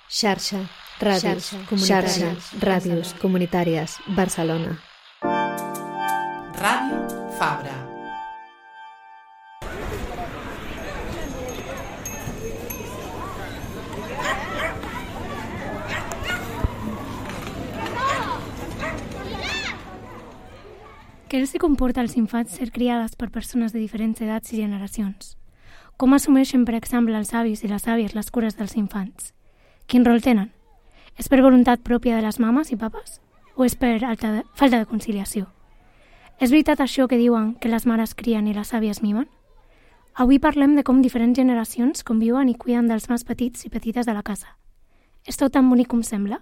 Xarxa, ràdios comunitàries, Barcelona. Ràdio Fabra. Què els comporta als infants ser criades per persones de diferents edats i generacions? Com assumeixen, per exemple, els avis i les àvies les cures dels infants? Quin rol tenen? És per voluntat pròpia de les mames i papes? O és per falta de conciliació? És veritat això que diuen que les mares crien i les àvies mimen? Avui parlem de com diferents generacions conviuen i cuiden dels més petits i petites de la casa. És tot tan bonic com sembla?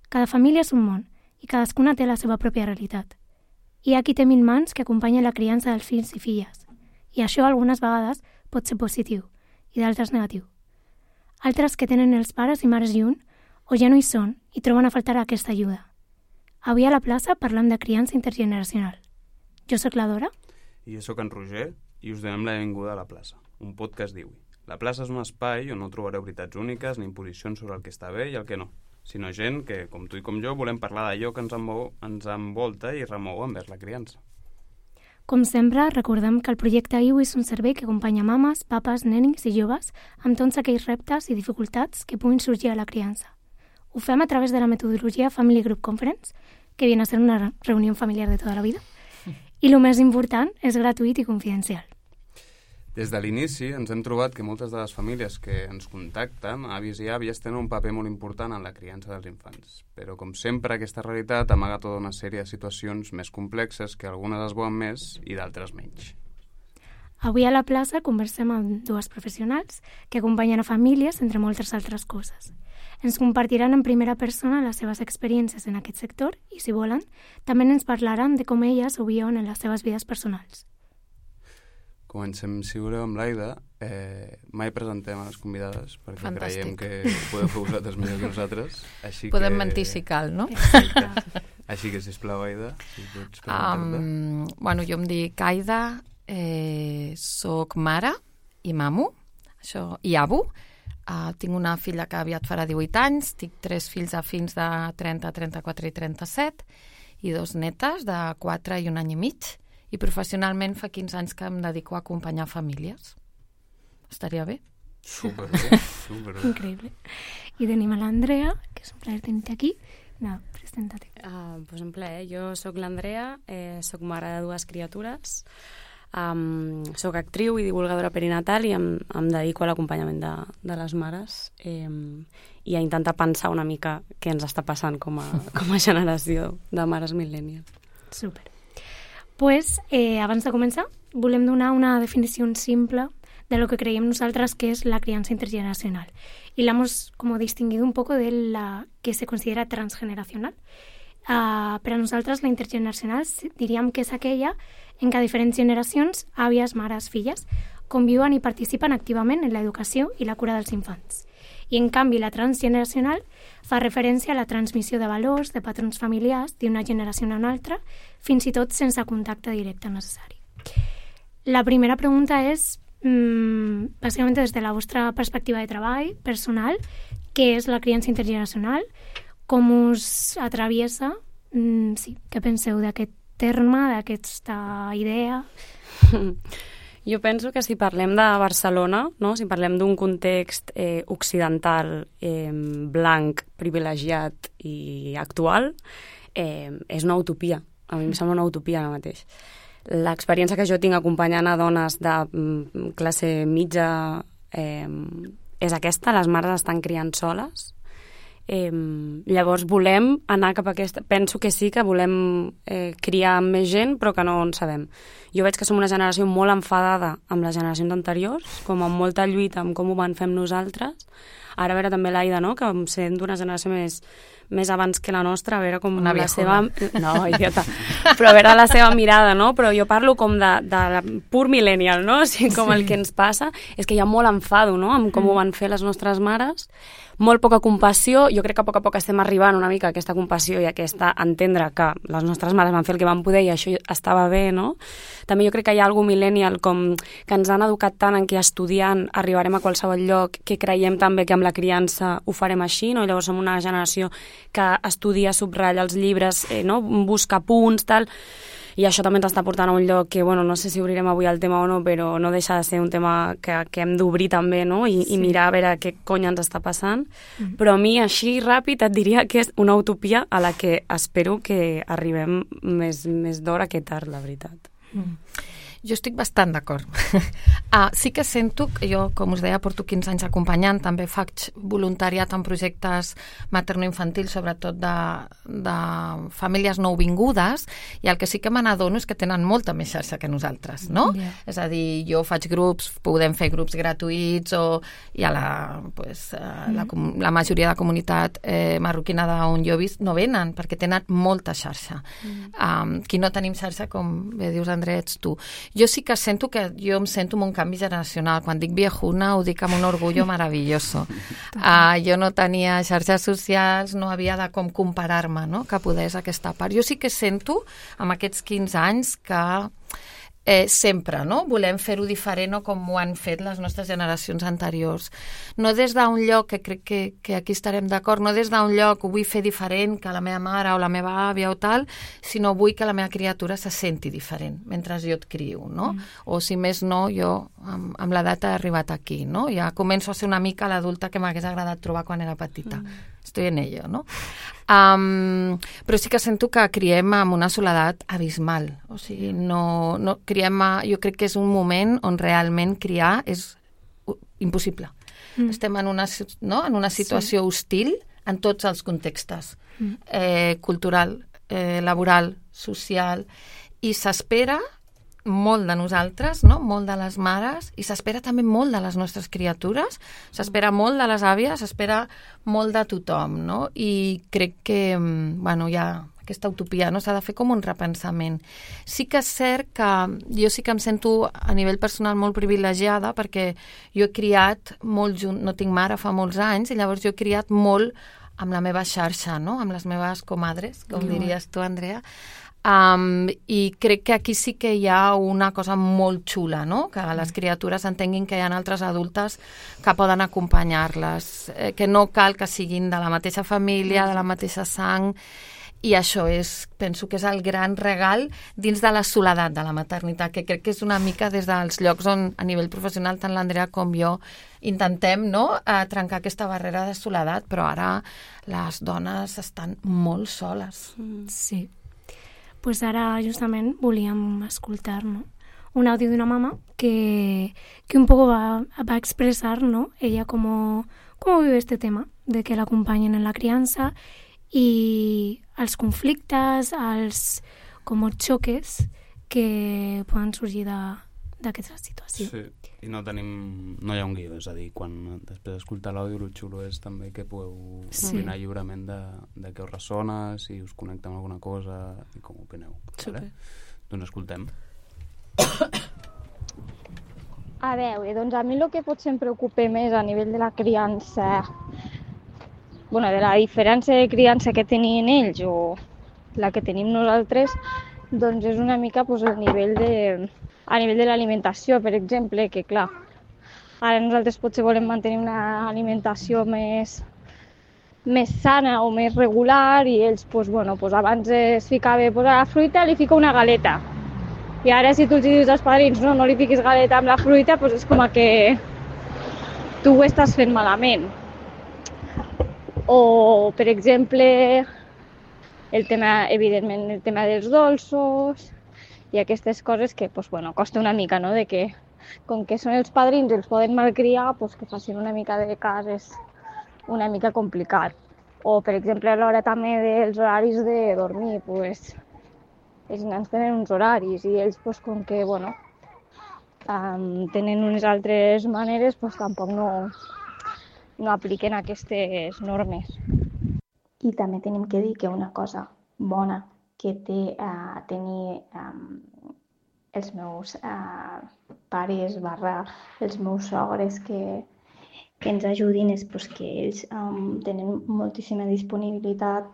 Cada família és un món i cadascuna té la seva pròpia realitat. Hi ha qui té 1000 mans que acompanyen la criança dels fills i filles, i això algunes vegades pot ser positiu i d'altres negatiu. Altres que tenen els pares i mares lluny o ja no hi són i troben a faltar aquesta ajuda. Avui a la plaça parlem de criança intergeneracional. Jo sóc la Dora. I jo sóc en Roger i us donem la benvinguda a La Plaça, un podcast d'Iwi. La plaça és un espai on no trobareu veritats úniques ni imposicions sobre el que està bé i el que no, sinó gent que, com tu i com jo, volem parlar d'allò que ens envolta i remou envers la criança. Com sempre, recordem que el projecte Iwi és un servei que acompanya mames, papes, nenis i joves amb tots aquells reptes i dificultats que puguin sorgir a la criança. Ho fem a través de la metodologia Family Group Conference, que viene a ser una reunió familiar de tota la vida, i el més important, és gratuït i confidencial. Des de l'inici ens hem trobat que moltes de les famílies que ens contacten, avis i àvies, tenen un paper molt important en la criança dels infants. Però, com sempre, aquesta realitat amaga tota una sèrie de situacions més complexes que algunes es veuen més i d'altres menys. Avui a la plaça conversem amb dues professionals que acompanyen a famílies, entre moltes altres coses. Ens compartiran en primera persona les seves experiències en aquest sector i, si volen, també ens parlaran de com elles ho viuen en les seves vides personals. Comencem, si voleu, amb l'Aida. Mai presentem a les convidades perquè creiem que podeu fer vosaltres millor que nosaltres. Podem mentir si cal, no? Exacte. Així que, sisplau, Aida, si pots presentar-te. Bueno, jo em dic Aida, soc mare i mamo, i avo. Tinc una filla que aviat farà 18 anys, tinc 3 fills a fins de 30, 34 i 37 i 2 netes de 4 i 1 any i mig. I professionalment fa 15 anys que em dedico a acompanyar famílies. Estaria bé? Superbé, superbé. Increïble. I tenim a l'Andrea, que és un plaer tenir-te aquí. No, presenta-te. Pues un plaer. Jo sóc l'Andrea, sóc mare de 2 criatures, sóc actriu i divulgadora perinatal i em dedico a l'acompanyament de les mares i a intentar pensar una mica què ens està passant com a generació de mares millennials. Super. Pues, abans de començar, volem donar una definició simple de lo que creiem nosaltres que és la criança intergeneracional. Y la hemos como distinguido un poco de la que se considera transgeneracional. Per a nosaltres, la intergeneracional diríem que és aquella en què diferents generacions, àvies, mares, filles, conviuen i participen activament en l'educació i la cura dels infants. I, en canvi, la transgeneracional fa referència a la transmissió de valors, de patrons familiars, d'una generació a una altra, fins i tot sense contacte directe necessari. La primera pregunta és, bàsicament des de la vostra perspectiva de treball personal, què és la criança intergeneracional, com us atraviesa, què penseu d'aquest terme, d'aquesta idea? Jo penso que si parlem de Barcelona, no? Si parlem d'un context occidental, blanc, privilegiat i actual, és una utopia. A mi em sembla una utopia ara mateix. L'experiència que jo tinc acompanyant a dones de classe mitja és aquesta, les mares estan criant soles. Llavors volem anar cap a aquesta... Penso que sí que volem criar més gent, però que no en sabem. Jo veig que som una generació molt enfadada amb les generacions anteriors, com amb molta lluita amb com ho van fer amb nosaltres. Ara a veure també l'Aida, no?, que sent d'una generació més abans que la nostra, a veure com una la seva... No, idiota. Però a veure la seva mirada, no? Però jo parlo com de pur millennial, no? O sigui, com el que ens passa és que hi ha molt enfado, no?, amb com ho van fer les nostres mares, molt poca compassió. Jo crec que a poc estem arribant una mica a aquesta compassió i a aquesta entendre que les nostres mares van fer el que van poder i això estava bé, no? També jo crec que hi ha alguna millennial com que ens han educat tant en que estudiant arribarem a qualsevol lloc, que creiem també que amb la criança ho farem així, no? I llavors som una generació que estudia, subratlla els llibres, no? Busca punts, tal, i això també ens està portant a un lloc que, bueno, no sé si obrirem avui el tema o no, però no deixa de ser un tema que hem d'obrir també, no? I mirar a veure què cony ens està passant. Però a mi, així ràpid, et diria que és una utopia a la que espero que arribem més d'hora que tard, la veritat. Jo estic bastant d'acord. Sí que sento que jo, com us deia, porto 15 anys acompanyant, també faig voluntariat en projectes materno-infantils, sobretot de famílies nouvingudes, i el que sí que me n'adono és que tenen molta més xarxa que nosaltres, no? Yeah. És a dir, jo faig grups, podem fer grups gratuïts, i a la majoria de comunitat marroquina d'on jo he vist no venen, perquè tenen molta xarxa. Qui no tenim xarxa, com bé dius, Andrea, ets tu. Jo sí que sento que jo em sento amb un canvi generacional. Quan dic viejuna ho dic amb un orgullo maravilloso. Jo no tenia xarxes socials, no havia de com comparar-me, no? Que podés aquesta part. Jo sí que sento, amb aquests 15 anys, que sempre, no? Volem fer-ho diferent o com ho han fet les nostres generacions anteriors. No des d'un lloc, que crec que aquí estarem d'acord, no des d'un lloc ho vull fer diferent que la meva mare o la meva àvia o tal, sinó vull que la meva criatura se senti diferent mentre jo et crio, no? O si més no, jo amb l'edat he arribat aquí, no? Ja començo a ser una mica l'adulta que m'hagués agradat trobar quan era petita. Estoy en ello, no? Però sí que sento que criem amb una soledat abismal. O sigui, no criem jo crec que és un moment on realment criar és impossible. Estem en una situació hostil en tots els contextes. Cultural, laboral, social, i s'espera molt de nosaltres, no? Molt de les mares, i s'espera també molt de les nostres criatures, s'espera molt de les àvies, s'espera molt de tothom, no? I crec que, bueno, hi ha aquesta utopia, no? S'ha de fer com un repensament. Sí que és cert que jo sí que em sento a nivell personal molt privilegiada, perquè jo he criat molt no tinc mare fa molts anys, i llavors jo he criat molt amb la meva xarxa, no? Amb les meves comadres, com diries tu, Andrea. I crec que aquí sí que hi ha una cosa molt xula, no? Que les criatures entenguin que hi ha altres adultes que poden acompanyar-les, que no cal que siguin de la mateixa família, de la mateixa sang, i això penso que és el gran regal dins de la soledat de la maternitat, que crec que és una mica des dels llocs on a nivell professional tant l'Andrea com jo intentem, no?, trencar aquesta barrera de soledat, però ara les dones estan molt soles. Sí. Pues ara justament volíem escoltar, ¿no?, un audio d'una mama que un poco va a expresar, ¿no?, ella cómo vive este tema de que la acompañen en la crianza y els conflictes, els com xoques que poden sorgir d'aquesta situació. Sí, i no hi ha un guió, és a dir, quan després d'escoltar l'àudio, el xulo és també que podeu opinar lliurement de què us ressona, si us connecta amb alguna cosa i com opineu. Vale? Doncs escoltem. A veure, doncs a mi el que potser em preocupa més a nivell de la criança, de la diferència de criança que tenien ells o la que tenim nosaltres, doncs és una mica a nivell de l'alimentació, per exemple, que clar, ara nosaltres potser volem mantenir una alimentació més sana o més regular, i ells, abans es ficava a la fruita, li fica una galeta. I ara si tu els dius als padrins no li fiquis galeta amb la fruita, és com que tu ho estàs fent malament. O, per exemple, evidentment el tema dels dolços i aquestes coses que costa una mica, no?, de que com que són els padrins i els poden malcriar, que facin una mica de cas és una mica complicat. O, per exemple, a l'hora també dels horaris de dormir, els nens tenen uns horaris i ells, com que tenen unes altres maneres, tampoc no apliquen aquestes normes. I també tenim que dir que una cosa bona que té tenir els meus pares / els meus sogres que ens ajudin és que ells tenen moltíssima disponibilitat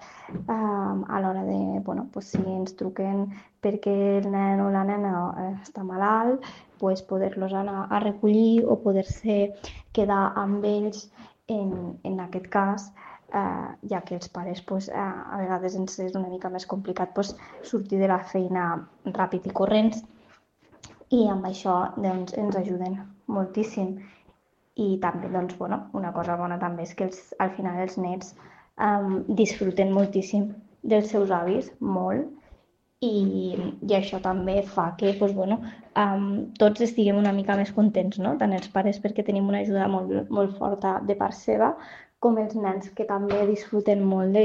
a l'hora de, si ens truquen perquè el nen o la nena està malalt, poder-los anar a recollir o poder-se quedar amb ells en aquest cas, ja que els pares a vegades ens és una mica més complicat sortir de la feina ràpid i corrents, i amb això ens ajuden moltíssim. I també, una cosa bona també és que al final els nets disfruten moltíssim dels seus avis, molt, i això també fa que tots estiguem una mica més contents, no? Tant els pares perquè tenim una ajuda molt, molt forta de part seva, com els nens que també disfruten molt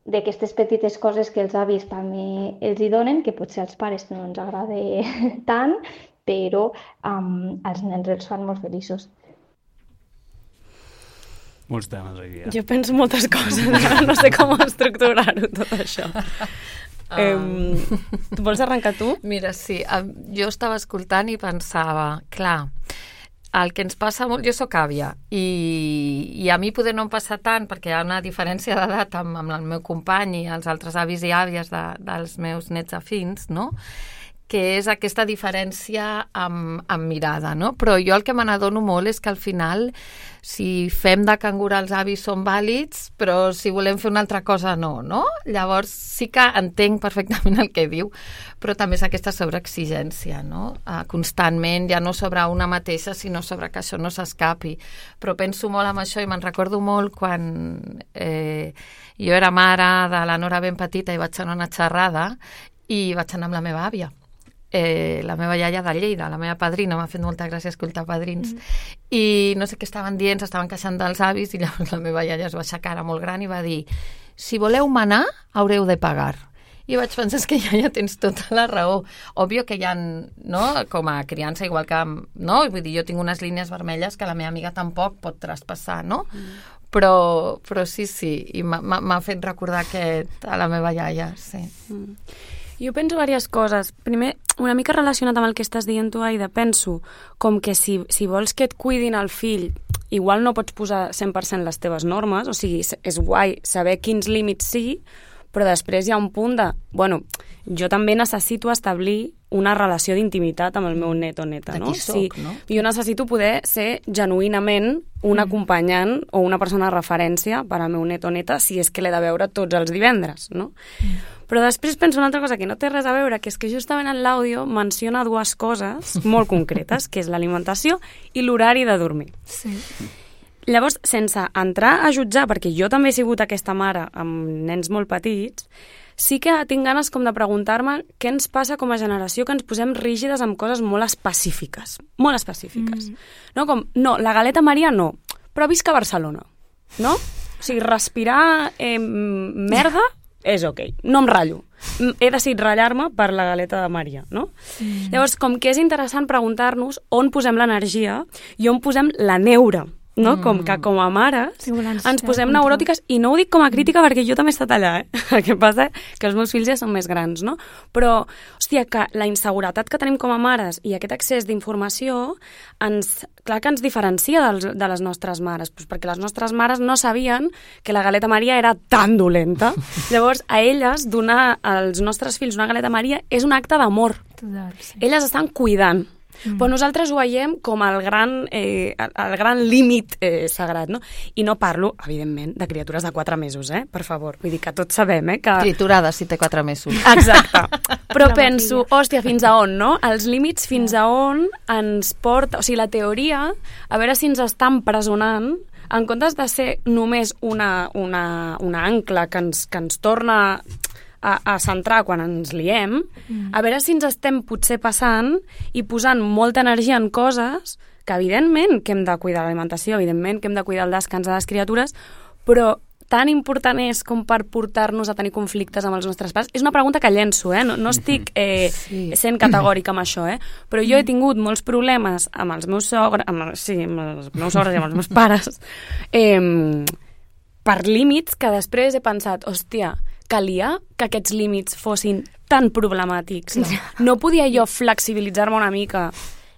d'aquestes petites coses que els avis també els hi donen, que potser als pares no ens agrada tant, però als nens els fan molt feliços. Molts temes aquí. Jo penso moltes coses, no sé com estructurar-ho tot això. Tu vols arrencar tu? Mira, sí, jo estava escoltant i pensava, clar, el que ens passa molt... Jo soc àvia i a mi poder no em passa tant perquè hi ha una diferència d'edat amb el meu company i els altres avis i àvies dels meus nets afins, no?, que és aquesta diferència amb mirada, no? Però jo el que me n'adono molt és que al final, si fem de cangur els avis són vàlids, però si volem fer una altra cosa no? Llavors sí que entenc perfectament el que diu, però també és aquesta sobreexigència, no? Constantment, ja no sobre una mateixa, sinó sobre que això no s'escapi. Però penso molt en això i me'n recordo molt quan jo era mare de la Nora ben petita i vaig anar a una xerrada i vaig anar amb la meva àvia. La meva iaia de Lleida, la meva padrina, m'ha fet molta gràcia escoltar padrins, i no sé què estaven dient, s'estaven queixant dels avis, i llavors la meva iaia es va aixecar, era molt gran, i va dir, si voleu manar, haureu de pagar. I vaig pensar, és que iaia tens tota la raó. Òbvio que hi ha, no?, com a criança, igual que, no?, vull dir, jo tinc unes línies vermelles que la meva amiga tampoc pot traspassar, no? Però sí, i m'ha fet recordar a la meva iaia, sí. Jo penso diverses coses. Primer, una mica relacionat amb el que estàs dient tu, Aida, penso com que si vols que et cuidin el fill, igual no pots posar 100% les teves normes, o sigui, és guai saber quins límits sí, però després hi ha un punt de, jo també necessito establir una relació d'intimitat amb el meu net o neta, no? No? Jo necessito poder ser genuïnament un acompanyant o una persona de referència per al meu net o neta si és que l'he de veure tots els divendres, no? Però després penso una altra cosa que no té res a veure, que és que justament en l'àudio menciona dues coses molt concretes, que és l'alimentació i l'horari de dormir. Sí. Llavors, sense entrar a jutjar, perquè jo també he sigut aquesta mare amb nens molt petits, sí que tinc ganes com de preguntar-me què ens passa com a generació que ens posem rígides amb coses molt específiques. Molt específiques. No, com, no, la galeta Maria no, però visc a Barcelona, no? O sigui, respirar merda és ok, no em ratllo. He decidit ratllar-me per la galeta de Maria, no? Llavors, com que és interessant preguntar-nos on posem l'energia i on posem la neura, no? Com que com a mares ens posem neuròtiques, i no ho dic com a crítica perquè jo també he estat allà, el que passa que els meus fills ja són més grans, no? Però, hòstia, que la inseguretat que tenim com a mares i aquest accés d'informació clar que ens diferencia de les nostres mares, perquè les nostres mares no sabien que la galeta Maria era tan dolenta. Llavors, a elles donar als nostres fills una galeta Maria és un acte d'amor. Sí. Elles estan cuidant. Però nosaltres ho veiem com el gran límit sagrat, no? I no parlo, evidentment, de criatures de 4 mesos, per favor. Vull dir que tots sabem, que... Triturada, si té 4 mesos. Exacte. Però penso, hòstia, fins a on, no? Els límits fins a on ens porta... O sigui, la teoria, a veure si ens està empresonant, en comptes de ser només una ancla que ens torna a centrar quan ens liem, a veure si ens estem potser passant i posant molta energia en coses que evidentment que hem de cuidar l'alimentació, evidentment que hem de cuidar el descans de les criatures, però tan important és com per portar-nos a tenir conflictes amb els nostres pares? És una pregunta que llenço, no estic sent categòrica amb això, però jo he tingut molts problemes amb els meus sogres, amb els meus sogres i amb els meus pares, per límits que després he pensat, hòstia, calia que aquests límits fossin tan problemàtics. No podia jo flexibilitzar-me una mica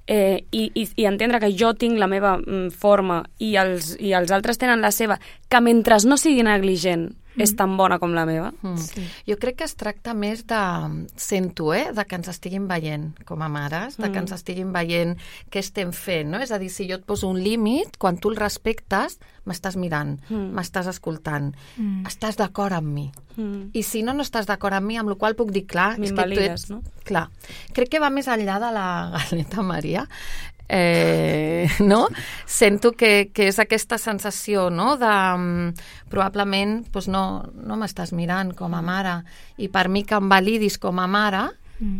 i entendre que jo tinc la meva forma i els altres tenen la seva, que mentre no sigui negligent és tan bona com la meva. Sí. Jo crec que es tracta més de, sento, de que ens estiguin veient com a mares, de que ens estiguin veient què estem fent, no? És a dir, si jo et poso un límit, quan tu el respectes, m'estàs mirant, m'estàs escoltant, estàs d'acord amb mi. I si no estàs d'acord amb mi, amb la qual puc dir, clar, és que tu ets... no? Clar. Crec que va més enllà de la galeta Maria, no? Sento que és aquesta sensació, no? De probablement doncs no m'estàs mirant com a mare, i per mi que em validis com a mare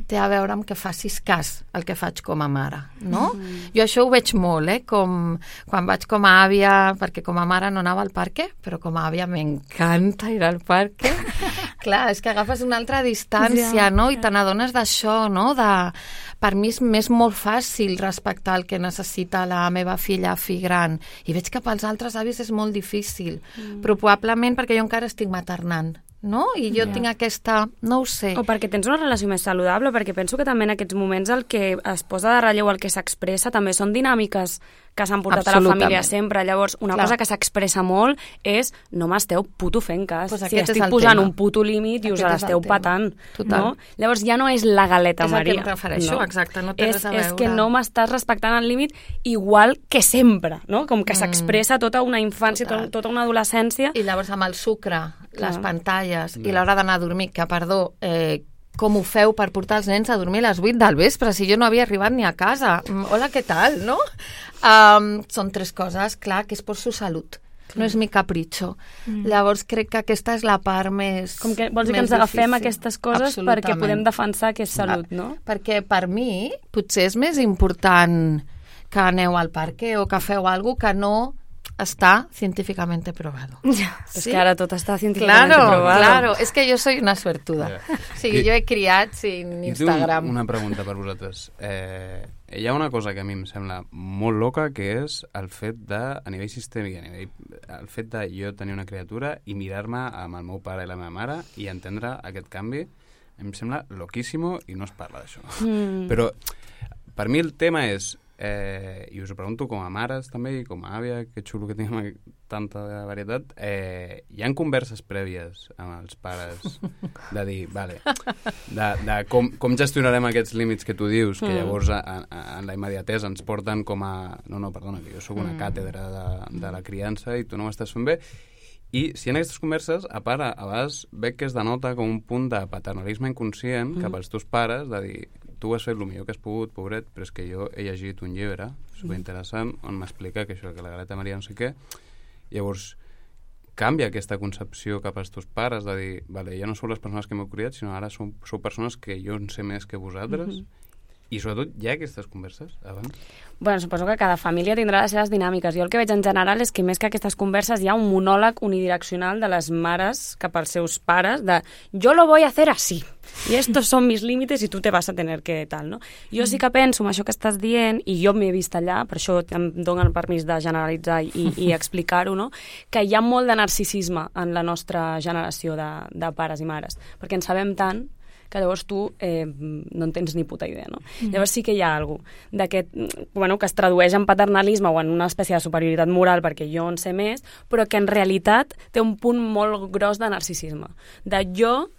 té a veure amb que facis cas al que faig com a mare, no? Jo això ho veig molt, com quan vaig com a àvia, perquè com a mare no anava al parque, però com a àvia m'encanta ir al parque. Clar, és que agafes una altra distància, no? I te n'adones d'això, no? Per mi és molt fàcil respectar el que necessita la meva filla fi gran, i veig que pels altres avis és molt difícil, però probablement perquè jo encara estic maternant, no? I jo tinc aquesta... no ho sé. O perquè tens una relació més saludable, perquè penso que també en aquests moments el que es posa de relleu, el que s'expressa, també són dinàmiques que s'han portat a la família sempre. Llavors, una cosa que s'expressa molt és no m'esteu puto fent cas. Pues si estic posant un puto límit i us l'esteu patant. No? Llavors ja no és la galeta Maria. És el que em refereixo, exacte, no té res a veure. És que no m'estàs respectant el límit igual que sempre, no? Com que s'expressa tota una infància, tota una adolescència. I llavors amb el sucre, les pantalles i l'hora d'anar a dormir, que perdó, com ho feu per portar els nens a dormir a les 8 del vespre, si jo no havia arribat ni a casa? Hola, què tal, no? Són tres coses, clar, que és per su salut. No és mi capritxo. Llavors crec que aquesta és la part més com que vols dir que ens agafem aquestes coses perquè podem defensar que és salut, no? Perquè per mi potser és més important que aneu al parque o que feu alguna cosa que no està científicamente probado. És que ara tot està científicamente probado. Claro, és que jo soy una suertuda. O sigui, jo he criat sin Instagram. I una pregunta per vosaltres. Hi ha una cosa que a mi em sembla molt loca, que és el fet de, a nivell sistèmic, el fet de jo tenir una criatura i mirar-me amb el meu pare i la meva mare i entendre aquest canvi, em sembla loquíssimo i no es parla d'això. Però per mi el tema és, i us ho pregunto com a mares també i com a àvia, que xulo que tinguem tanta varietat, hi ha converses prèvies amb els pares de dir, vale, de com gestionarem aquests límits que tu dius, que llavors en la immediatesa ens porten com a no, perdona, que jo sóc una càtedra de la criança i tu no m'estàs fent bé. I si en aquestes converses, a part, a vegades veig que es denota com un punt de paternalisme inconscient cap als teus pares, de dir, tu has fet el millor que has pogut, pobret, però és que jo he llegit un llibre superinteressant on m'explica que això, que la galeta Maria no sé què. Llavors, canvia aquesta concepció cap als teus pares de dir, vale, ja no sou les persones que m'heu criat, sinó ara sou persones que jo en sé més que vosaltres. I sobretot hi ha aquestes converses abans? Bueno, suposo que cada família tindrà les seves dinàmiques. Jo el que veig en general és que més que aquestes converses hi ha un monòleg unidireccional de les mares cap als seus pares de yo lo voy a hacer así y estos son mis límites y tú te vas a tener que tal, no? Jo sí que penso en això que estàs dient, i jo m'he vist allà, per això em donen el permís de generalitzar i explicar-ho, no? Que hi ha molt de narcisisme en la nostra generació de pares i mares, perquè en sabem tant que llavors tu no en tens ni puta idea, no? Llavors sí que hi ha alguna cosa d'aquest, bueno, que es tradueix en paternalisme o en una espècie de superioritat moral perquè jo en sé més, però que en realitat té un punt molt gros de narcisisme. De jo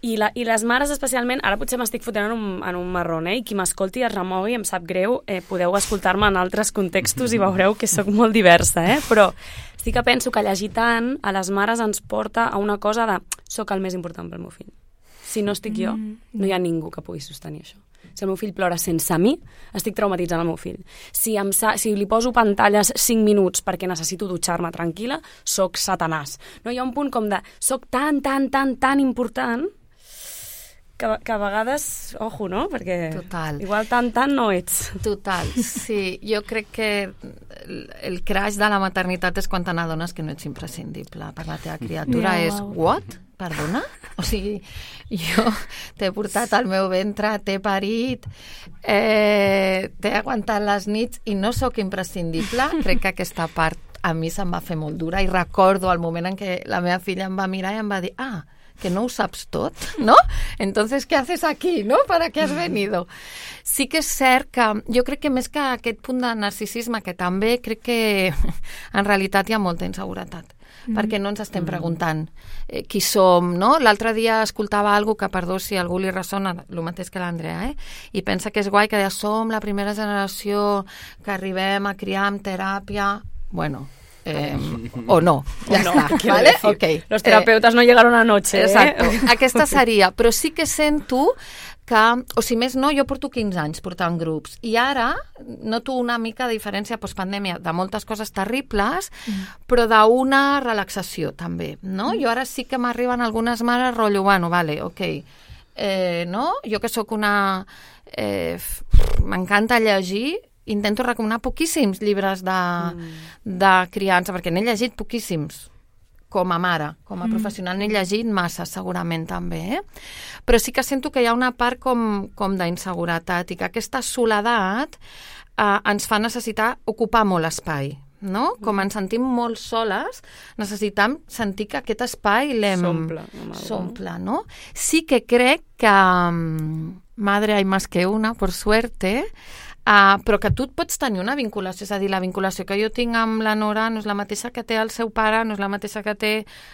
i les mares especialment, ara potser m'estic fotent en un marrón, i qui m'escolti es remogui, em sap greu, podeu escoltar-me en altres contextos i veureu que sóc molt diversa, però sí que penso que llegir tant a les mares ens porta a una cosa de soc el més important pel meu fill. Si no estic jo, no hi ha ningú que pugui sostenir això. Si el meu fill plora sense mi, estic traumatitzant el meu fill. Si li poso pantalles 5 minuts perquè necessito dutxar-me tranquil·la, soc satanàs. No, hi ha un punt com de soc tan important que a vegades, ojo, no? Perquè igual tant no ets. Total, sí. Jo crec que el crash de la maternitat és quan te n'adones que no ets imprescindible per la teva criatura. És, what? Perdona? O sigui, jo t'he portat al meu ventre, t'he parit, t'he aguantat les nits i no sóc imprescindible. Crec que aquesta part a mi se'm va fer molt dura i recordo el moment en què la meva filla em va mirar i em va dir, que no ho saps tot, ¿no? Entonces, ¿qué haces aquí, no? ¿Para qué has venido? Sí que és cert que jo crec que més que aquest punt de narcisisme, que també crec que en realitat hi ha molta inseguretat. perquè no ens estem preguntant qui som, no? L'altre dia escoltava algo que, perdó si a algú li ressona, el mateix que l'Andrea, i pensa que és guai, que deia, som la primera generació que arribem a criar amb teràpia. Bueno, o no, ja està, ¿vale? Okay. Los terapeutas no llegaron anoche. Exacto, aquesta seria, però sí que sento que, o si més no, jo porto 15 anys portant grups i ara noto una mica de diferència postpandèmia de moltes coses terribles, però d'una relaxació també, no? Jo ara sí que m'arriben algunes mares rotllo, bueno, vale, ok, no? Jo que sóc una... m'encanta llegir, intento recomanar poquíssims llibres de criança, perquè n'he llegit poquíssims, com a mare, com a professional n'he llegit massa, segurament també, però sí que sento que hi ha una part com d'inseguretat i que aquesta soledat ens fa necessitar ocupar molt espai, no? Com ens sentim molt soles, necessitem sentir que aquest espai s'omple, no? Sí que crec que madre hay más que una, por suerte, però que tu et pots tenir una vinculació, és a dir, la vinculació que jo tinc amb la Nora no és la mateixa que té el seu pare, no és la mateixa que té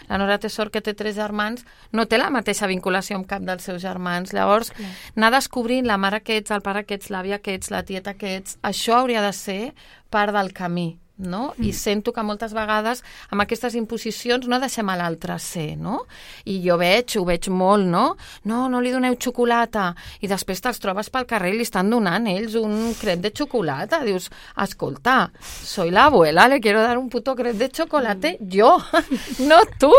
la Nora té sort que té 3 germans, no té la mateixa vinculació amb cap dels seus germans. Llavors, anar descobrint la mare que ets, el pare que ets, l'àvia que ets, la tieta que ets, això hauria de ser part del camí, no? I sento que moltes vegades amb aquestes imposicions no deixem a l'altre ser, no? I jo ho veig molt, no? No li doneu xocolata, i després te'ls trobes pel carrer i li estan donant ells un crep de xocolata. Dius, escolta, soy la abuela, le quiero dar un puto crep de chocolate yo, no tu,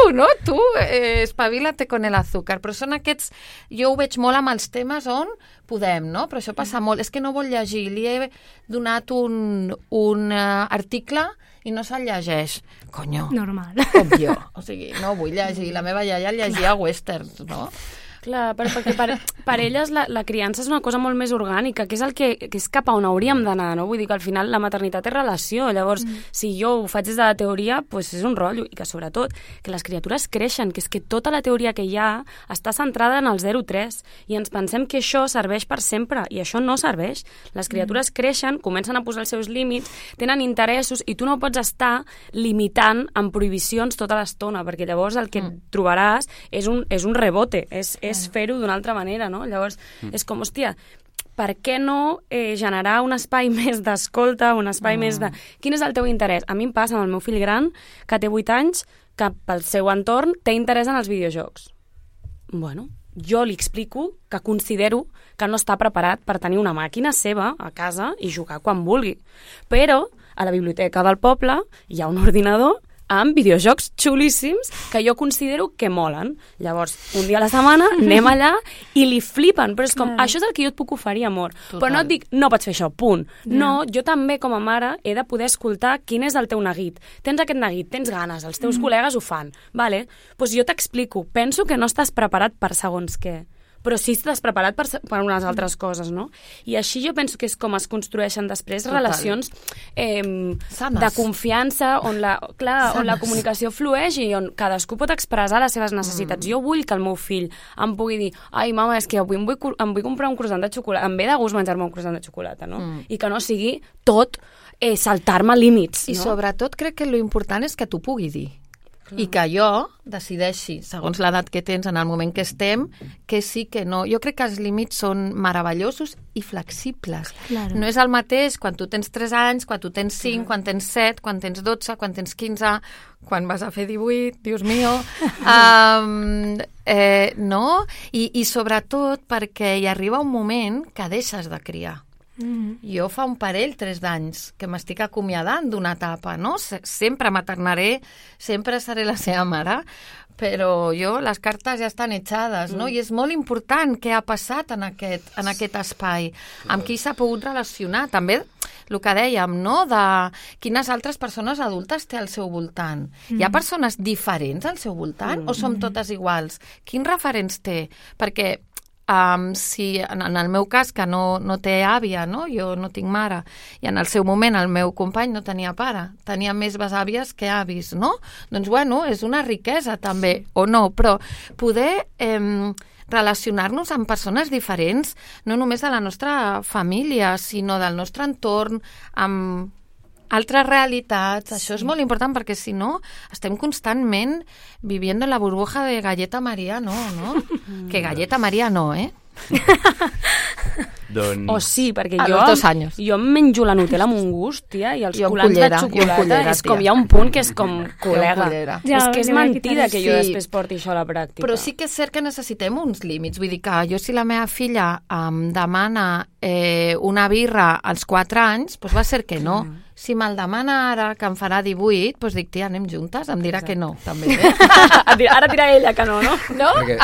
espavilate con el azúcar. Però són aquests, jo ho veig molt amb els temes on podem, no? Però això passa molt, és que no vol llegir, li he donat un article i no se'l llegeix. Conyo. Normal. Com jo. O sigui, no vull llegir. La meva iaia llegia westerns, no? Clar, perquè per elles la criança és una cosa molt més orgànica, que és cap a on hauríem d'anar, no? Vull dir que al final la maternitat és relació, llavors si jo ho faig des de la teoria, doncs és un rotllo, i que sobretot que les criatures creixen, que és que tota la teoria que hi ha està centrada en el 0-3, i ens pensem que això serveix per sempre, i això no serveix. Les criatures creixen, comencen a posar els seus límits, tenen interessos, i tu no pots estar limitant amb prohibicions tota l'estona, perquè llavors el que trobaràs és un rebote, és fer-ho d'una altra manera, no? Llavors, és com, hòstia, per què no generar un espai més d'escolta, un espai més de... Quin és el teu interès? A mi em passa amb el meu fill gran, que té 8 anys, que pel seu entorn té interès en els videojocs. Bueno, jo li explico que considero que no està preparat per tenir una màquina seva a casa i jugar quan vulgui. Però a la biblioteca del poble hi ha un ordinador amb videojocs xulíssims que jo considero que molen. Llavors, un dia a la setmana anem allà i li flipen, però és com, això és el que jo et puc oferir, amor. Total. Però no et dic, no pots fer això, punt. No, jo també, com a mare, he de poder escoltar quin és el teu neguit. Tens aquest neguit, tens ganes, els teus col·legues ho fan. Vale? Doncs jo t'explico. Penso que no estàs preparat per segons què, però sí estàs preparat per unes altres coses, no? I així jo penso que és com es construeixen després relacions de confiança, on la comunicació flueix i on cadascú pot expressar les seves necessitats. Jo vull que el meu fill em pugui dir, ai, mama, és que avui em vull comprar un croissant de xocolata, em ve de gust menjar-me un croissant de xocolata, no? I que no sigui tot saltar-me límits, no? I sobretot crec que l'important és que t'ho pugui dir. I que jo decideixi, segons l'edat que tens en el moment que estem, que sí, que no. Jo crec que els límits són meravellosos i flexibles. Claro. No és el mateix quan tu tens 3 anys, quan tu tens 5, quan tens 7, quan tens 12, quan tens 15, quan vas a fer 18, Dios mío. No? I sobretot perquè hi arriba un moment que deixes de criar. Jo fa un parell, 3 d'anys, que m'estic acomiadant d'una etapa, no? Sempre maternaré, sempre seré la seva mare, però les cartes ja estan echades, no? I és molt important què ha passat en aquest espai, amb qui s'ha pogut relacionar. També el que dèiem, no?, de quines altres persones adultes té al seu voltant. Hi ha persones diferents al seu voltant o som totes iguals? Quins referents té? Perquè si en el meu cas, que no té àvia, no? Jo no tinc mare, i en el seu moment el meu company no tenia pare, tenia més besàvies que avis, no? Doncs bueno, és una riquesa també, o no, però poder relacionar-nos amb persones diferents, no només de la nostra família, sinó del nostre entorn, amb altres realitats. Això és molt important perquè si no estem constantment viviendo en la burbuja de Galleta María, no? Que Galleta María no, Doncs... O sí, perquè A los 2 años. jo em menjo la Nutella amb un gust, tia, i els Jo amb colants cullera, de xocolata, cullera, és com, tia. hi ha un punt que és com, col·lega, cullera. Ja, és que és li vaig mentida quitar que jo sí. després porti això a la pràctica. Però sí que és cert que necessitem uns límits. Vull dir que jo, si la meva filla em demana una birra als 4 anys, doncs va ser que no. Si me'l demana ara, que em farà 18, doncs dic, tia, anem juntes, em dirà que no, també. Ara dirà ella que no? No? Perquè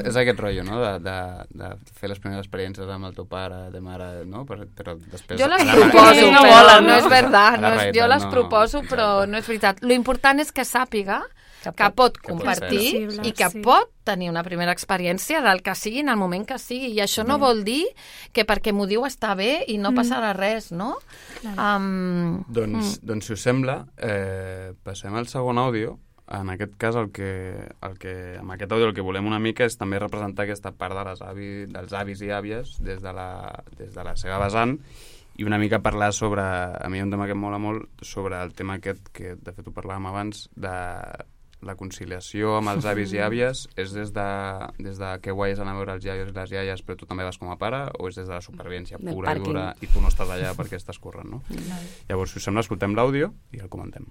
és aquest rotllo, no?, de fer les primeres experiències amb el teu pare, de mare, no? Però després... Jo les a la proposo, realitat- no volen, volen, no? no és veritat. A la realitat Jo les no. proposo, però Exacte. no és veritat. Lo important és que sàpiga que pot compartir ser. i que Sí. pot tenir una primera experiència del que sigui en el moment que sigui. I això no vol dir que perquè m'ho diu està bé i no passarà res, no? Doncs, si us sembla, passem al segon àudio. En aquest cas, amb aquest àudio el que volem una mica és també representar aquesta part dels avis i àvies des de la seva vessant i una mica parlar sobre, a mi hi ha un tema que em mola molt, sobre el tema aquest que de fet ho parlàvem abans, de la conciliació amb els avis i àvies és des de que guai és anar a veure els iaios i les iaies però tu també vas com a pare o és des de la supervivència Del pura i pàrquing. dura i tu no estàs allà perquè estàs corrent, no? Llavors, si us sembla, escoltem l'àudio i el comentem.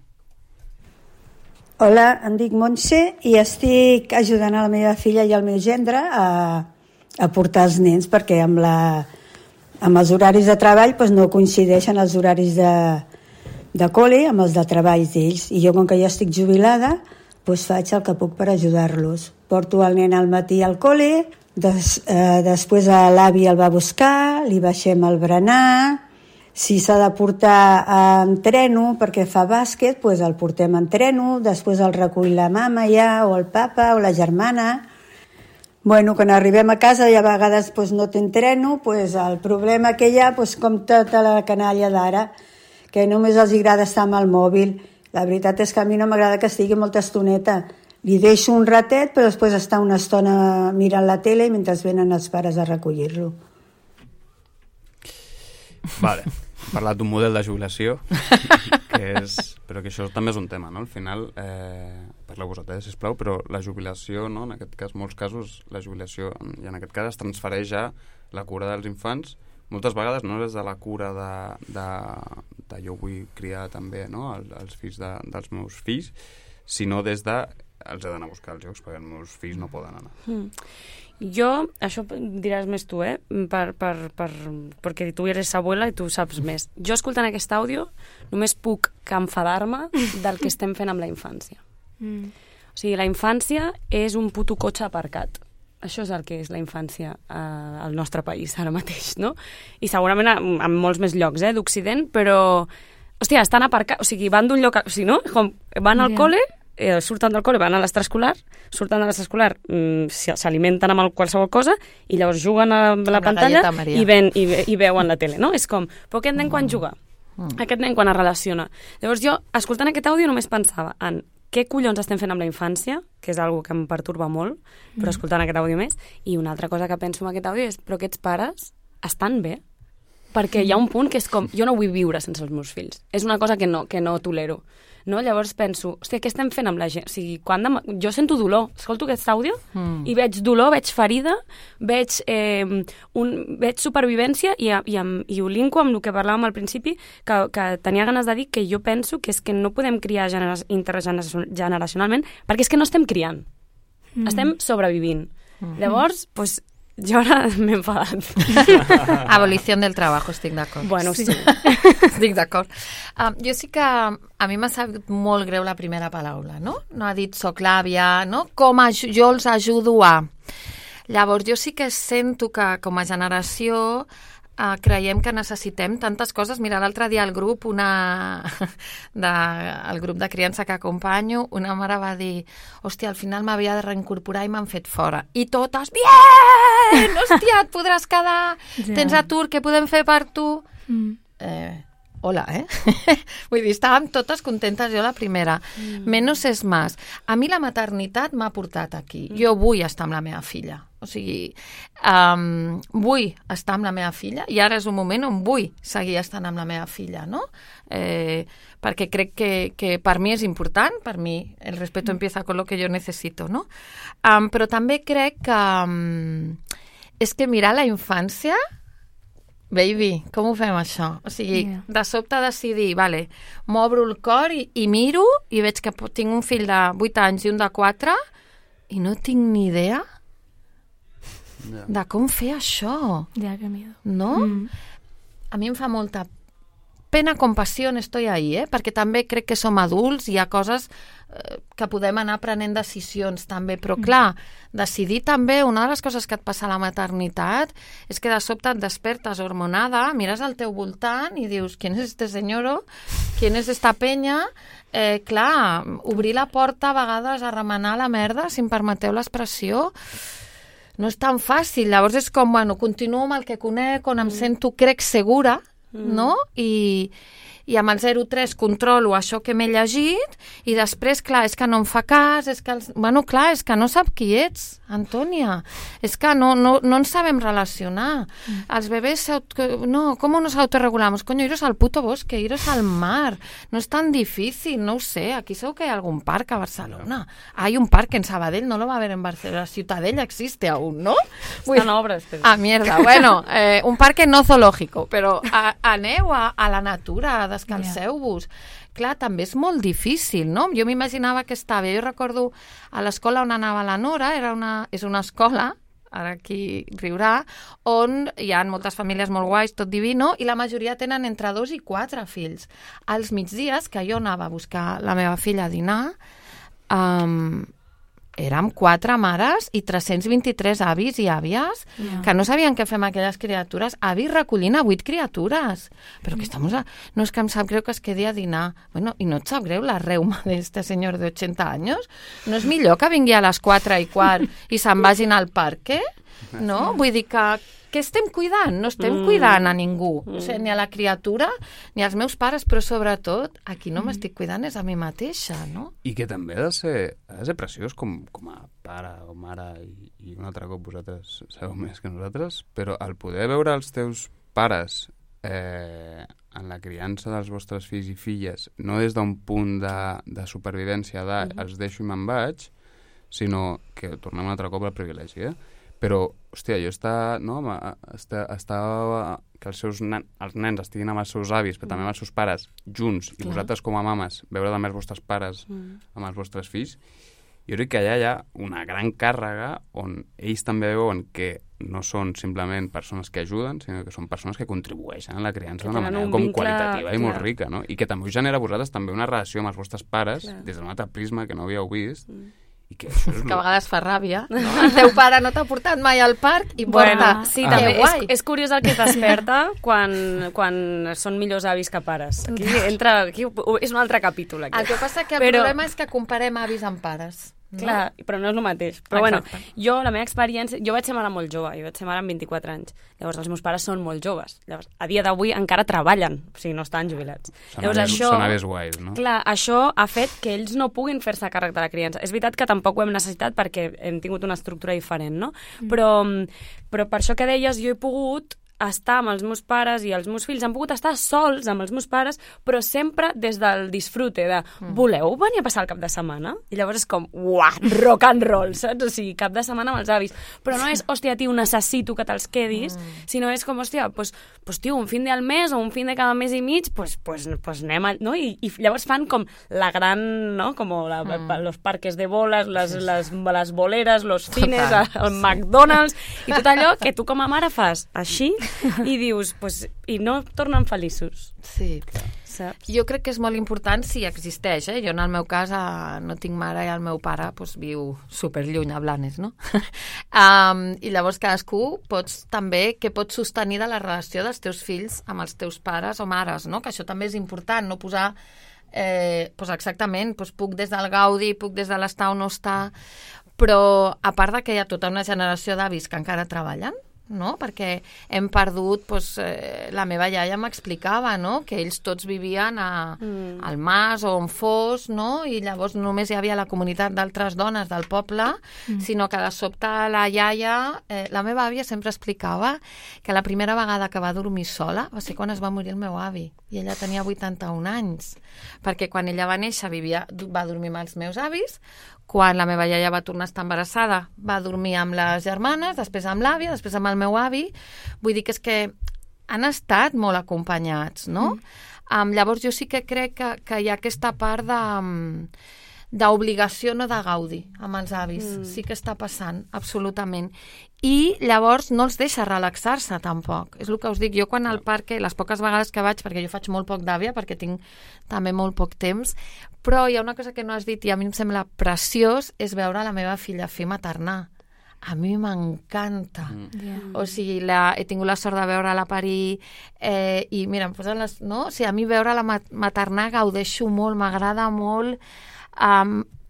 Hola, em dic Montse i estic ajudant a la meva filla i al meu gendre a portar els nens perquè amb els horaris de treball doncs no coincideixen els horaris de col·le amb els de treball d'ells i jo com que ja estic jubilada doncs faig el que puc per ajudar-los. Porto el nen al matí al col·le, després l'avi el va buscar, li baixem el berenar, si s'ha de portar en treno perquè fa bàsquet, doncs el portem en treno, després el recull la mama ja, o el papa, o la germana. Bueno, quan arribem a casa i a vegades doncs, no té treno, doncs el problema que hi ha, doncs, com tota la canalla d'ara, que només els agrada estar amb el mòbil. La veritat és que a mi no m'agrada que estigui molta estoneta. Li deixo un ratet, però després està una estona mirant la tele mentre venen els pares a recollir-lo. Vale, hem parlat d'un model de jubilació, però que això també és un tema, no? Al final, parleu vosaltres, sisplau, però la jubilació, no? En aquest cas, molts casos, la jubilació, i en aquest cas es transfereix a la cura dels infants, moltes vegades no és de la cura de jo vull criar també, no? Els fills dels meus fills, sinó des de els he d'anar a buscar als jocs perquè els meus fills no poden anar. Jo, això diràs més tu, perquè tu eres abuela i tu saps més. Jo, escoltant aquest àudio, només puc enfadar-me del que estem fent amb la infància. O sigui, la infància és un puto cotxe aparcat. Això és el que és la infància al nostre país ara mateix, no? I segurament en molts més llocs d'Occident, però, hòstia, estan aparcats, o sigui, van d'un lloc, o sigui, no? Com van al col·le, surten del col·le, van a l'extraescolar, surten de l'extraescolar, s'alimenten amb qualsevol cosa i llavors juguen a la pantalla i veuen la tele, no? És com, però aquest nen quan juga? Aquest nen quan es relaciona? Llavors jo, escoltant aquest àudio, només pensava en què collons estem fent amb la infància, que és una que em pertorba molt, però escoltant aquest àudio més, i una altra cosa que penso amb aquest àudio és, però aquests pares estan bé? Perquè hi ha un punt que és com, jo no vull viure sense els meus fills. És una cosa que no tolero. No? Llavors penso, hòstia, què estem fent amb la gent? O sigui, jo sento dolor, escolto aquest àudio i veig dolor, veig ferida, veig supervivència i ho linko amb el que parlàvem al principi, que tenia ganes de dir que jo penso que és que no podem criar intergeneracionalment perquè és que no estem criant, estem sobrevivint. Llavors, doncs, jo ara m'he enfadat. Abolició del treball, estic d'acord. Bueno, sí. Estic d'acord. Jo sí que a mi m'ha sabut molt greu la primera paraula, no? No ha dit soc l'àvia, no? Jo els ajudo a... Llavors, jo sí que sento que com a generació creiem que necessitem tantes coses. Mira, l'altre dia al grup, el grup de criança que acompanyo, una mare va dir, hòstia, al final m'havia de reincorporar i m'han fet fora. I totes, bien! Hòstia, et podràs quedar, tens atur, què podem fer per tu? Hola, Vull dir, estàvem totes contentes, jo la primera. Menos és más. A mi la maternitat m'ha portat aquí. Jo vull estar amb la meva filla. O sigui, vull estar amb la meva filla i ara és un moment on vull seguir estant amb la meva filla, no? Perquè crec que per mi és important, per mi el respeto empieza con lo que yo necesito, no? Però també crec que és que mirar la infància, baby, com ho fem això? O sigui, de sobte decidir, vale, m'obro el cor i miro i veig que tinc un fill de 8 anys i un de 4 i no tinc ni idea de com fer això. Ja, que miedo. No? A mi em fa molta pena, compassió, estoy ahí, perquè també crec que som adults, hi ha coses que podem anar prenent decisions també, però clar, decidir també, una de les coses que et passa a la maternitat és que de sobte et despertes hormonada, mires al teu voltant i dius, ¿quién es este señor? ¿Quién es esta penya? Clar, obrir la porta a vegades a remenar la merda, si em permeteu l'expressió, no és tan fàcil. Llavors és com, bueno, continuo amb el que conec, on em sento, crec, segura, no? I amb el 0,3 controlo això que m'he llegit i després, clar, és que no em fa cas, és que, clar, és que no sap qui ets, Antònia. És que no ens sabem relacionar. Els bebès, no, ¿cómo nos autorregulamos? Coño, iros al puto bosque, iros al mar. No és tan difícil, no ho sé. Aquí segur que hay algún parc a Barcelona. Hay un parc en Sabadell, no lo va a haver en Barcelona. Ciutadella existe aún, ¿no? Estan obres. Però... Ah, mierda. Bueno, un parque no zoológico, però aneu a la natura, descanseu-vos. Clar, també és molt difícil, no? Jo m'imaginava que estava, jo recordo a l'escola on anava la Nora, és una escola, ara aquí riurà, on hi ha moltes famílies molt guais, tot divino, i la majoria tenen entre 2 i 4 fills. Als migdies, que jo anava a buscar la meva filla a dinar, érem 4 mares i 323 avis i àvies que no sabien què fer amb aquelles criatures. Avis recollint a 8 criatures. Però que estamos no és que em sap greu que es quedi a dinar. Bueno, i no et sap greu la reuma d'este senyor de 80 anys? No és millor que vingui a les 4:15 i se'n vagin al parc, no? Vull dir que què estem cuidant? No estem cuidant a ningú. O sigui, ni a la criatura, ni als meus pares, però sobretot, a qui no m'estic cuidant és a mi mateixa, no? I que també ha de ser preciós com a pare o mare, i un altre cop vosaltres sabeu més que nosaltres, però el poder veure els teus pares en la criança dels vostres fills i filles, no des d'un punt de supervivència els deixo i me'n vaig, sinó que tornem un altre cop al privilegi, però, hòstia, jo estava que els nens estiguin amb els seus avis, però també amb els seus pares, junts, i vosaltres com a mames, veure també els vostres pares amb els vostres fills, jo crec que allà hi ha una gran càrrega on ells també veuen que no són simplement persones que ajuden, sinó que són persones que contribueixen a la criança d'una manera com qualitativa i molt rica, no? I que també us genera a vosaltres també una relació amb els vostres pares des d'un altre prisma que no havíeu vist, i que això és que a vegades fa ràbia, no? El teu pare no t'ha portat mai al parc i porta... Sí, també és curiós el que es desperta quan són millors avis que pares. Aquí és un altre capítol. Aquí. El que passa que el problema és que comparem avis amb pares. No? Clar, però no és el mateix. Però bueno, jo, la meva experiència... Jo vaig ser mare molt jove, jo vaig ser mare amb 24 anys. Llavors, els meus pares són molt joves. Llavors, a dia d'avui encara treballen, o sigui, no estan jubilats. Són avis guais, no? Clar, això ha fet que ells no puguin fer-se càrrec de la criança. És veritat que tampoc ho hem necessitat perquè hem tingut una estructura diferent, no? Però per això que deies, jo he pogut estar amb els meus pares i els meus fills han pogut estar sols amb els meus pares, però sempre des del disfrute de voleu venir a passar el cap de setmana? I llavors és com, uah, rock and roll, saps? O sigui, cap de setmana amb els avis. Però no és, hòstia, tio, necessito que te'ls quedis, sinó és com, hòstia, pues, tio, un fin de al mes o un fin de cada mes i mig, pues anem a... No? I llavors fan com la gran, no? Com los parques de boles, les boleres, los cines, el McDonald's, i tot allò que tu com a mare fas així, i dius, pues, i no tornen feliços. Sí, saps? Jo crec que és molt important si existeix, Jo en el meu cas no tinc mare i el meu pare viu superlluny a Blanes, no? I llavors cadascú pots sostenir de la relació dels teus fills amb els teus pares o mares, no? Que això també és important, no posar exactament, puc des del gaudi, puc des de l'estar o no estar, però a part de que hi ha tota una generació d'avis que encara treballen, no? Perquè hem perdut, doncs, la meva iaia m'explicava, no? Que ells tots vivien al mas o on fos, no? I llavors només hi havia la comunitat d'altres dones del poble, sinó que de sobte la iaia, la meva àvia sempre explicava que la primera vegada que va dormir sola va ser quan es va morir el meu avi, i ella tenia 81 anys, perquè quan ella va néixer va dormir amb els meus avis, quan la meva iaia va tornar a estar embarassada va dormir amb les germanes, després amb l'àvia, després amb el meu avi. Vull dir que és que han estat molt acompanyats, no? Llavors jo sí que crec que hi ha aquesta part d'obligació, no de gaudi amb els avis. Sí que està passant, absolutament. I llavors no els deixa relaxar-se tampoc. És el que us dic, jo quan al parc, les poques vegades que vaig, perquè jo faig molt poc d'àvia, perquè tinc també molt poc temps, però hi ha una cosa que no has dit i a mi em sembla preciós, és veure la meva filla fer maternar. A mi m'encanta. O sigui, he tingut la sort de veure-la parir i mira, em posen les... No? O sigui, a mi veure-la maternar gaudeixo molt, m'agrada molt...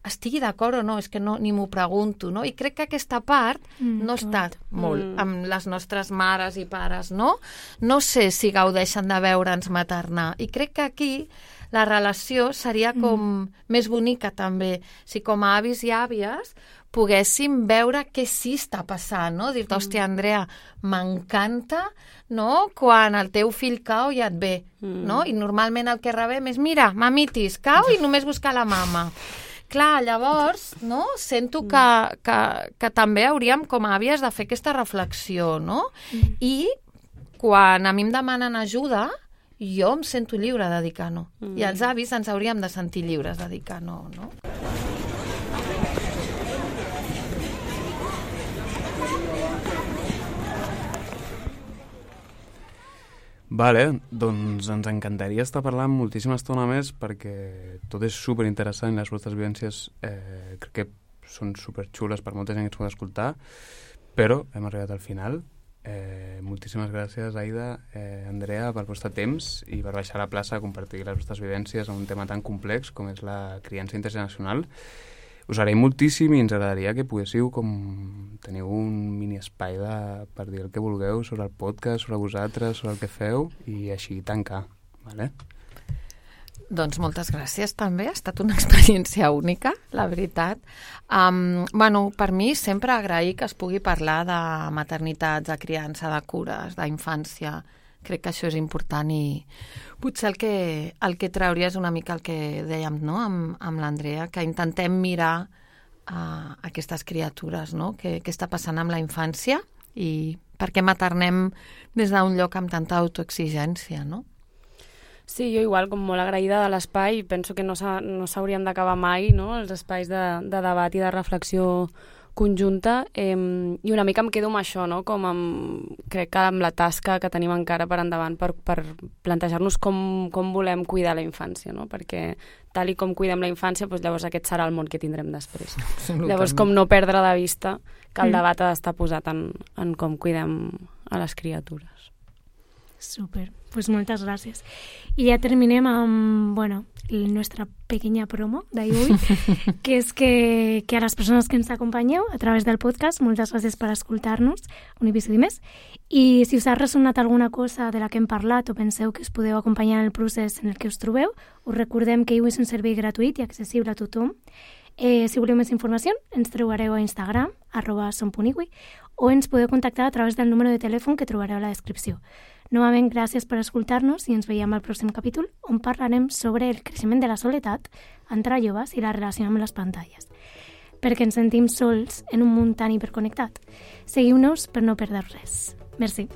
estigui d'acord o no, és que no, ni m'ho pregunto, no? I crec que aquesta part no està molt amb les nostres mares i pares, no? No sé si gaudeixen de veure'ns maternar. I crec que aquí la relació seria com més bonica també. Si com a avis i àvies poguéssim veure què sí està passant, no? Dir-te, hòstia, Andrea, m'encanta, no? Quan el teu fill cau ja et ve, no? I normalment el que rebem és, mira, mamitis, cau i només buscar la mama. Clar, llavors, no? Sento que també hauríem, com a àvies, de fer aquesta reflexió, no? I quan a mi em demanen ajuda, jo em sento lliure de dir que no. I els avis ens hauríem de sentir lliures de dir que no, no? Vale, doncs ens encantaria estar parlant moltíssima estona més perquè tot és superinteressant i les vostres vivències crec que són superxules per molta gent que ens pot escoltar, però hem arribat al final. Moltíssimes gràcies, Aida, Andrea, pel vostre temps i per baixar a la plaça a compartir les vostres vivències en un tema tan complex com és la criança intergeneracional. Us agraïm moltíssim i ens agradaria que poguéssiu teniu un mini espai per dir el que vulgueu sobre el podcast, sobre vosaltres, sobre el que feu i així tancar, vale? Doncs moltes gràcies també, ha estat una experiència única, la veritat. Per mi sempre agrair que es pugui parlar de maternitats, de criança, de cures, d'infància. Crec que això és important i potser el que trauria és una mica el que dèiem, no? amb l'Andrea, que intentem mirar aquestes criatures, no? Què està passant amb la infància i per què maternem des d'un lloc amb tanta autoexigència, no? Sí, jo igual, com molt agraïda de l'espai, penso que no s'haurien d'acabar mai, no? Els espais de debat i de reflexió conjunta, i una mica em quedo amb això, no? Crec que amb la tasca que tenim encara per endavant per plantejar-nos com volem cuidar la infància, no? Perquè tal i com cuidem la infància, doncs llavors aquest serà el món que tindrem després. Llavors, com no perdre de vista que el debat ha d'estar posat en com cuidem a les criatures. Súper, pues moltes gràcies. I ja terminem amb, la nostra pequeña promo d'avui, que és que a les persones que ens acompanyeu a través del podcast, moltes gràcies per escoltar-nos un episodi més. I si us ha ressonat alguna cosa de la que hem parlat o penseu que us podeu acompanyar en el procés en el que us trobeu, us recordem que Iwi és un servei gratuït i accessible a tothom. Si voleu més informació, ens trobareu a Instagram, @som.iwi, o ens podeu contactar a través del número de telèfon que trobareu a la descripció. Novament, gràcies per escoltar-nos i ens veiem al pròxim capítol on parlarem sobre el creixement de la soledat entre joves i la relació amb les pantalles. Perquè ens sentim sols en un món tan hiperconnectat. Seguiu-nos per no perdre res. Merci.